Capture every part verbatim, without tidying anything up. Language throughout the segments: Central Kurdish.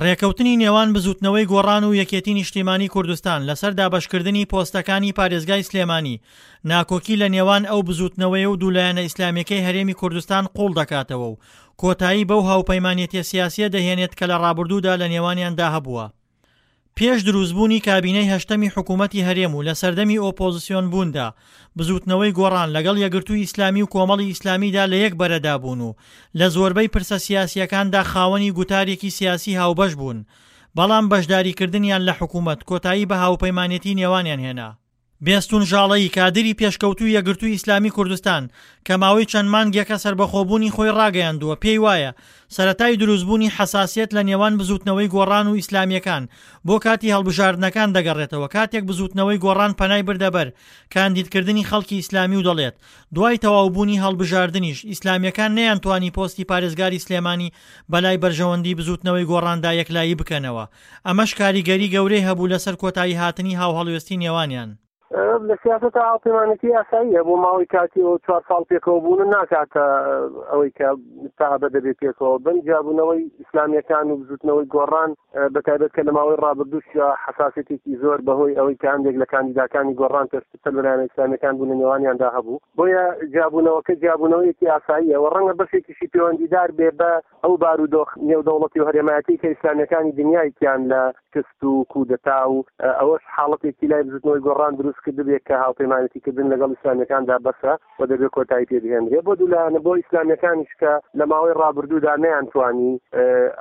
ڕێکەوتنی نێوان بزوتنەوەی گۆڕان و یەکێتی نیشتیمانی کوردستان لەسەر دابەشکردنی پۆستەکانی پارێزگای سلێمانی، ناکۆکی لە نێوان ئەو بزوتنەوەیە و دوو لایەنە ئیسلامیەکەی هەرێمی کوردستان قوڵ دەکاتەوە و کۆتایی بەو هاوپەیمانێتیە سیاسیە دەهێنێت کە لە ڕابردوودا لە نێوانیاندا هەبووە. پێش دروستبوونی کابینەی هەشتەمی حکوومەتی هەرێم و لە سەردەمی ئۆپۆزسیۆن بووندا، بزووتنەوەی گۆڕان لەگەڵ یەکگرتووی ئیسلامی و کۆمەڵی ئیسلامیدا لە یەک بەرەدا بوون و لە زۆربەی پرسە سیاسییەکاندا خاوەنی گوتارێکی سیاسی هاوبەش بوون، بەڵام بەشداریکردنیان لە حکوومەت کۆتایی بە هاوپەیمانێتی نێوانیان هێنا. بێستون ژاڵەیی، کادری پێشکەوتووی یەکگرتووی ئیسلامی کوردستان، کە ماوەی چەند مانگێکە سەربەخۆبوونی خۆی ڕاگەیاندووە، پێی وایە سەرەتای دروستبوونی حەساسیەت لە نێوان بزووتنەوەی گۆڕان و ئیسلامییەکان بۆ کاتی هەڵبژاردنەکان دەگەڕێتەوە کاتێک بزووتنەوەی گۆڕان پەنای بردە بەر کاندیدکردنی خەڵکی ئیسلامی و دەڵێت دوای تەواوبوونی هەڵبژاردنیش ئیسلامییەکان نەیانتوانی پۆستی پارێزگاری سلێمانی بەلای بەرژەوەندی بزووتنەوەی گۆڕاندا یەکلایی بکەنەوە، ئەمەش کاریگەری گەورەی هەبوو لەسەر کۆتاییهاتنی هاوهەڵوێستی نێوانیان. لە سیاسەتا هاوپەیمانێتی یاساییە بۆ ماوەی کاتی و چوار ساڵ پێکەوە بوون و ناکاتە ئەوەی کە تا ئەبەد دەبێت پێکەوە بن. جیابوونەوەی ئیسلامییەکان و بزووتنەوەی گۆڕان بە تایبەت کە لە ماوەی ڕابردووشدا حەساسیەتێکی زۆر بەهۆی ئەوەی کە هەندێک لە کاندیداکانی گۆڕان پێشتر سەر بە لایەنە ئیسلامییەکان بوون لە نێوانیاندا هەبوو، بۆیە جیابوونەوەکە جیابوونەوەیەکی ئاساییە و ڕەنگە بەشێکیشی پەیوەندیدار بێ بە ئەو بارودۆخ نێودەوڵەتی و هەرێمایەتی کە ئیسلامیەکانی دنیایکیان لە شکست و کودەتا و ئەوەش حاڵەتێکی لای بزوتنەوەی گۆڕان دروست کردبێ کە هاوپەیمانێتی کردن لەگەڵ ئیسلامیەکاندا بەسە و دەبێ کۆتایی پێ بهێنرێ بۆ دوو لایەنە بۆ ئیسلامیەکانیش کە لە ماوەی ڕابردوودا نەیانتوانی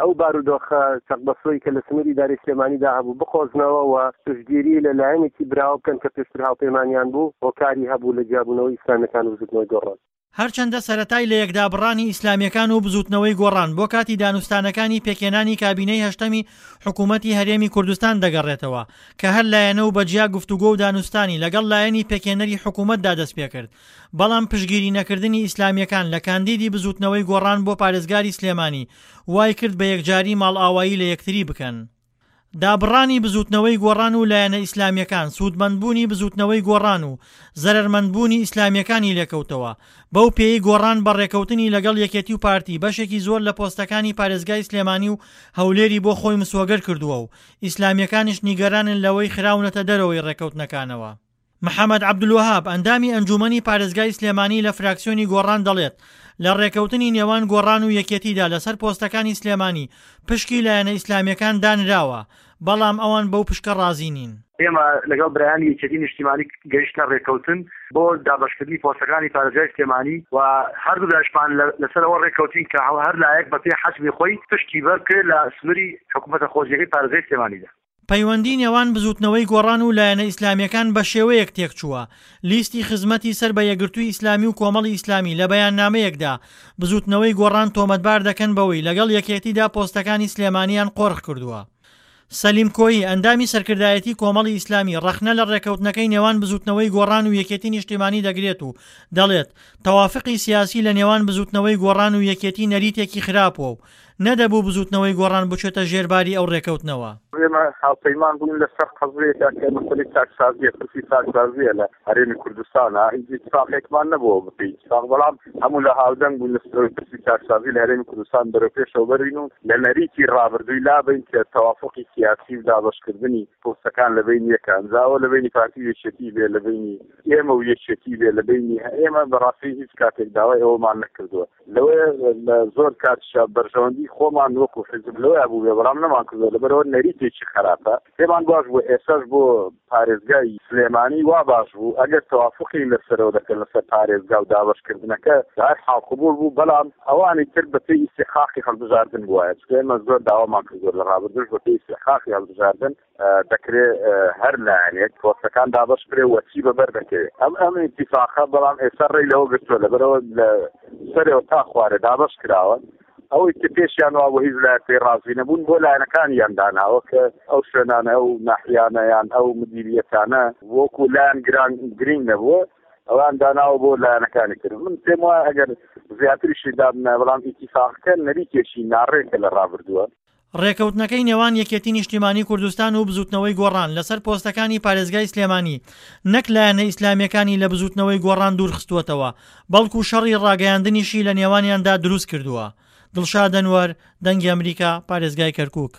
ئەو بارودۆخە چەقبەستووەی کە لە سنووری ئیدارەی سلێمانیدا هەبوو بقۆزنەوە و پشتگیری لە لایەنێکی براوە بکەن کە پێشتر هاوپەیمانیان بوو هۆکاری هەبوو لە جیابوونەوەی ئیسلامیەکان و بزوتنەوەی گۆڕان. هەرچەندە سەرەتای لەیەکدابڕانی ئیسلامییەکان و بزووتنەوەی گۆڕان بۆ کاتی دانوستانەکانی پێکهێنانی کابینەی هەشتەمی حکوومەتی هەرێمی کوردستان دەگەڕێتەوە کە هەر لایەنە و بە جیا گفتوگۆ و دانوستانی لەگەڵ لایەنی پێکهێنەری حکوومەتدا دەستپێکرد بەڵام پشتگیری نەکردنی ئیسلامییەکان لە کاندیدی بزووتنەوەی گۆڕان بۆ پارێزگاری سلێمانی وایکرد بە یەکجاری ماڵئاوایی لە یەکتری بکەن. دابڕانی بزووتنەوەی گۆڕان و لایەنە ئیسلامییەکان سوودمەندبوونی بزووتنەوەی گۆڕان و زەرەرمەندبوونی ئیسلامییەکانی لێکەوتەوە، بەو پێیەی گۆڕان بە ڕێکەوتنی لەگەڵ یەکێتی و پارتی بەشێکی زۆر لە پۆستەکانی پارێزگای سلێمانی و هەولێری بۆ خۆی مسۆگەر کردووە و ئیسلامییەکانیش نیگەرانن لەوەی خراونەتە دەرەوەی ڕێکەوتنەکانەوە. محەمەد عەبدولوەهاب، ئەندامی ئەنجوومەنی پارێزگای سلێمانی لە فراکسیۆنی گۆڕان دەڵێت، لە رێککەوتنی نێوان گۆڕان و یەکێتیدا لەسەر پۆستەکانی سلێمانی پشکی لایەنە ئیسلامییەکان دانراوە، بەڵام ئەوان بەو پشکە رازی نین. ئێمە لەگەڵ برایانی یەکێتی نیشتیمانی گەیشتنە رێککەوتن بۆ دابەشکردنی پۆستەکانی پارێزگای سلێمانی و هەردوولایشمان لەسەر ئەوە رێککەوتین کە هەر لایەک بەپێی حەجمی خۆی پشکی بەربکەوێت لە سنووری حکومەتە خۆجێیەکەی پارێزگای سلێمانیدا. پەیوەندی نێوان بزوتنەوەی گۆڕان و لایەنە ئیسلامییەکان بەشێوەیەک تێکچووە، لیستی خزمەتی سەر بە یەکگرتووی ئیسلامی و کۆمەڵی ئیسلامی لە بەیاننامەیەکدا بزوتنەوەی گۆڕان تۆمەتبار دەکەن بەوەی لەگەڵ یەکێتیدا پۆستەکانی سلێمانیان قۆرخ کردووە. سەلیم کۆیی، ئەندامی سەرکردایەتی کۆمەڵی ئیسلامی ڕەخنە لە ڕێککەوتنەکەی نێوان بزوتنەوەی گۆڕان و یەکێتی نیشتیمانی دەگرێت و دەڵێت، تەوافقی سیاسی لە نێوان بزوتنەوەی گۆڕان و یەکێتی نەریتێکی خراپوە و نەدەبوو بزوتنەوەی گۆڕان بچێتە ژێر باری ئەو رێکەوتنەوە. ئێمە هاوپەیمان بووین لەسەر قەزیەکە کە مەسەلەی چاکسازیە، پرسی چاکسازیە لە هەرێمی کوردستانا، هیچ ئیتفاقێکمان نەبووە بەپێی ئیتفاق، بەڵام هەموو لە هاودەنگ بووین لەسەر ئەوەی پرسی چاکسازی لە هەرێمی کوردستان بەرەو پێشەوە بەرین و لە نەریتی ڕابردووی لابەین کە تەوافوقی سیاسی و دابەشکردنی پۆستەکان لە بەینی یەکە جا ئەوە لە بەینی پارتی و یەکێتی بێ لە بەینی ئێمە و یەکێتی بێ لە بەینی ئێمە بەڕاستی هیچ کاتێک داوای ئەوەمان نەکردووە. لەوەیە لە زۆر کاتیشا بەرژەوەندی خۆمان وەکو حیزب لەوەیا بووبێ بەڵام نەمانکردووە لەبەرئەوە نەریتێکی خەراپە پێمان باش بوو ئێستاش بۆ پارێزگای سلێمانی وا باش بوو ئەگەر تەوافوقی لەسەرەوە دەکەن لەسەر پارێزگا و دابەشکردنەکە بە هەر حاڵ قبوڵ بوو بەڵام ئەوانی تر بەپێی ئیستیحقاقی هەڵبژاردن بوایە چونکە ئێمە زۆر داوامان کردووە لە ڕابردووش بەپێی ئیستیحقاقی هەڵبژاردن دەکرێ هەر لایەنێک پۆستەکان دابەش بکرێ و چی بەبەر دەکەوێ ئەم ئەم ئیتیفاقە بەڵام ئێستا ڕێی لەوە گرتووە لەبەرەوە لە سەرەوە تا خوارێ دابەش کراوە ئەوەی کە پێشیان وابوو هیچ لایەک پێی ڕازی نەبوون بۆ لایەنەکانیان داناوە کە ئەو شوێنانە ئەو ناحیانە یان ئەو مدیریەتانە وەکو لایەن گران گرینگ نەبووە ئەوان داناوە بۆ لایەنەکانی تر من پێم وایە ئەگەر زیاتریشی دابنایە بەڵام ئیتیفاقەکە نەریتێکی ناڕێکە لە ڕابردووە. ڕێکەوتنەکەی نێوان یەکێتی نیشتیمانی کوردستان و بزوتنەوەی گۆڕان لەسەر پۆستەکانی پارێزگای سلێمانی نەک لایەنە ئیسلامییەکانی لە بزوتنەوەی گۆڕان دوورخستووەتەوە، بەڵکو شەڕی ڕاگەیاندنیشی لە نێوانیاندا دروستکردووە. دڵشاد ئەنوەر، دەنگی ئەمریکا، پارێزگای کەرکوک.